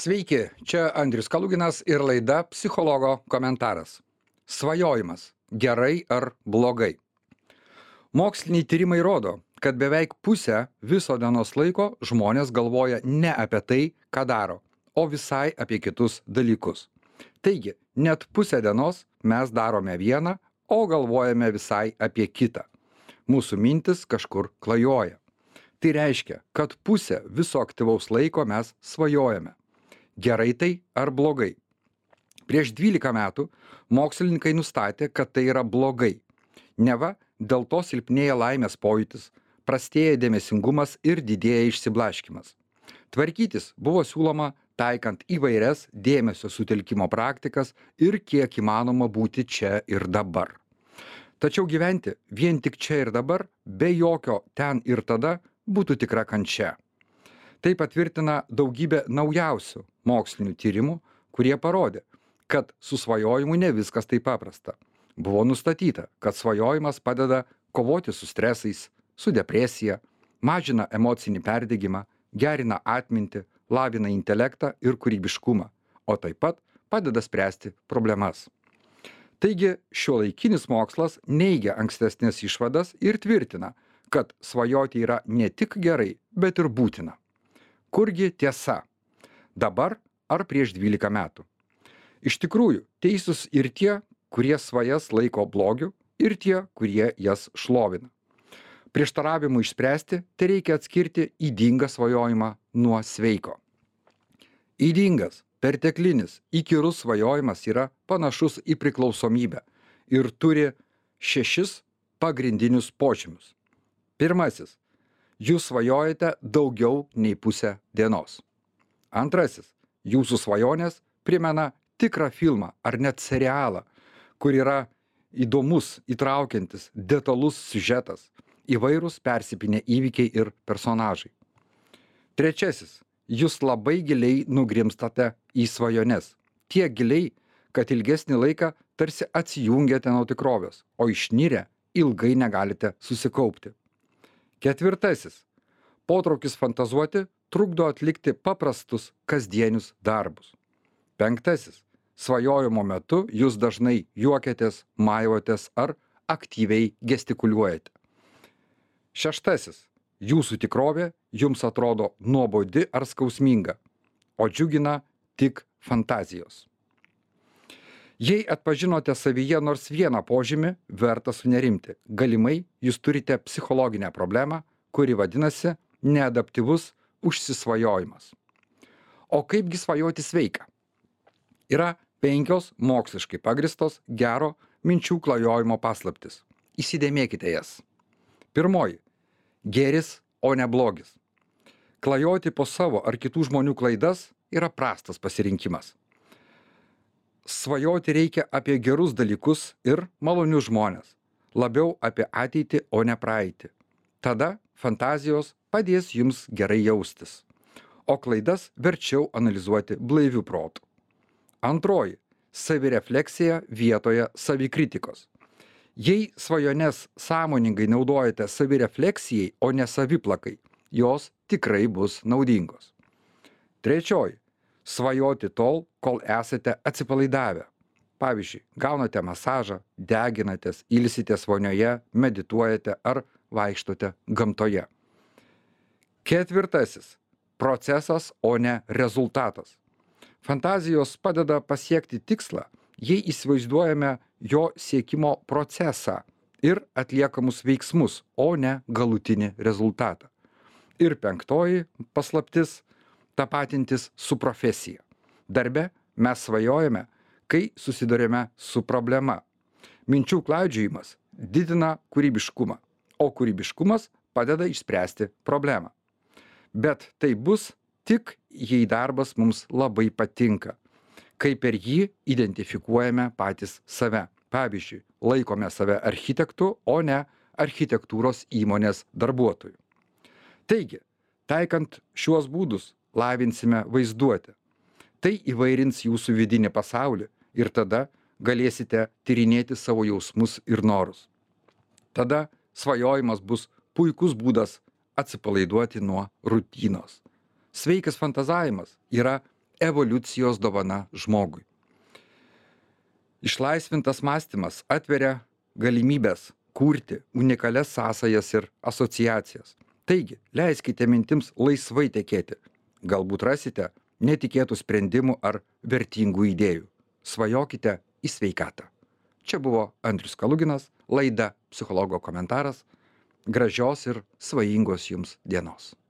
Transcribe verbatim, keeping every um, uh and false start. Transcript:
Sveiki, čia Andrius Kaluginas ir laida Psichologo komentaras. Svajojimas - gerai ar blogai? Moksliniai tyrimai rodo, kad beveik pusę viso dienos laiko žmonės galvoja ne apie tai, ką daro, o visai apie kitus dalykus. Taigi, net pusę dienos mes darome vieną, o galvojame visai apie kitą. Mūsų mintis kažkur klajoja. Tai reiškia, kad pusę viso aktyvaus laiko mes svajojame. Gerai tai ar blogai? Prieš dvylika metų mokslininkai nustatė, kad tai yra blogai. Neva dėl to silpnėja laimės pojūtis, prastėja dėmesingumas ir didėja išsiblaškymas. Tvarkytis buvo siūloma taikant įvairias dėmesio sutelkimo praktikas ir kiek įmanoma būti čia ir dabar. Tačiau gyventi vien tik čia ir dabar, be jokio ten ir tada, būtų tikra kančia. Tai patvirtina daugybė naujausių mokslinių tyrimų, kurie parodė, kad su svajojimu ne viskas taip paprasta. Buvo nustatyta, kad svajojimas padeda kovoti su stresais, su depresija, mažina emocinį perdegimą, gerina atmintį, lavina intelektą ir kūrybiškumą, o taip pat padeda spręsti problemas. Taigi, šiuolaikinis mokslas neigia ankstesnės išvadas ir tvirtina, kad svajoti yra ne tik gerai, bet ir būtina. Kurgi tiesa? Dabar ar prieš dvylika metų? Iš tikrųjų, teisūs ir tie, kurie svajas laiko blogiu, ir tie, kurie jas šlovina. Prieštaravimų išspręsti, tai reikia atskirti ydingą svajojimą nuo sveiko. Ydingas, perteklinis, įkyrus svajojimas yra panašus į priklausomybę ir turi šešis pagrindinius požymius. Pirmasis. Jūs svajojate daugiau nei pusę dienos. Antrasis. Jūsų svajonės primena tikrą filmą ar net serialą, kur yra įdomus, įtraukiantis, detalus siužetas, įvairūs persipinę įvykiai ir personažai. Trečiasis. Jūs labai giliai nugrimstate į svajones. Tiek giliai, kad ilgesnį laiką tarsi atsijungiate nuo tikrovės, o išnirę ilgai negalite susikaupti. Ketvirtasis. Potraukis fantazuoti trukdo atlikti paprastus kasdienius darbus. Penktasis. Svajojimo metu jūs dažnai juokiatės, maivotės ar aktyviai gestikuliuojate. Šeštasis. Jūsų tikrovė jums atrodo nuobodi ar skausminga, o džiugina tik fantazijos. Jei atpažinote savyje nors vieną požymį, verta sunerimti. Galimai jūs turite psichologinę problemą, kuri vadinasi neadaptyvus užsisvajojimas. O kaipgi svajoti sveika? Yra penkios moksliškai pagristos gero minčių klajojimo paslaptis. Įsidėmėkite jas. Pirmoji. Gėris, o ne blogis. Klajoti po savo ar kitų žmonių klaidas yra prastas pasirinkimas. Svajoti reikia apie gerus dalykus ir malonius žmones. Labiau apie ateitį, o ne praeitį. Tada fantazijos padės jums gerai jaustis. O klaidas verčiau analizuoti blaiviu protu. Antroji. Savirefleksija vietoje savikritikos. Jei svajones sąmoningai naudojate savirefleksijai, o ne saviplakai, jos tikrai bus naudingos. Trečioji. Svajoti tol, kol esate atsipalaidavę. Pavyzdžiui, gaunate masažą, deginatės, ilsitės vonioje, medituojate ar vaikštote gamtoje. Ketvirtasis. Procesas, o ne rezultatas. Fantazijos padeda pasiekti tikslą, jei įsivaizduojame jo siekimo procesą ir atliekamus veiksmus, o ne galutinį rezultatą. Ir penktoji paslaptis – tapatintis su profesija. Darbe mes svajojame, kai susidurėme su problema. Minčių klaidžiojimas didina kūrybiškumą, o kūrybiškumas padeda išspręsti problemą. Bet tai bus tik, jei darbas mums labai patinka, kai per jį identifikuojame patys save. Pavyzdžiui, laikome save architektu, o ne architektūros įmonės darbuotoju. Taigi, taikant šiuos būdus, lavinsime vaizduotę. Tai įvairins jūsų vidinį pasaulį ir tada galėsite tyrinėti savo jausmus ir norus. Tada svajojimas bus puikus būdas atsipalaiduoti nuo rutinos. Sveikas fantazavimas yra evoliucijos dovana žmogui. Išlaisvintas mąstymas atveria galimybės kurti unikalias sąsajas ir asociacijas. Taigi, leiskite mintims laisvai tekėti. Galbūt rasite netikėtų sprendimų ar vertingų idėjų. Svajokite į sveikatą. Čia buvo Andrius Kaluginas, laida Psichologo komentaras. Gražios ir svajingos jums dienos.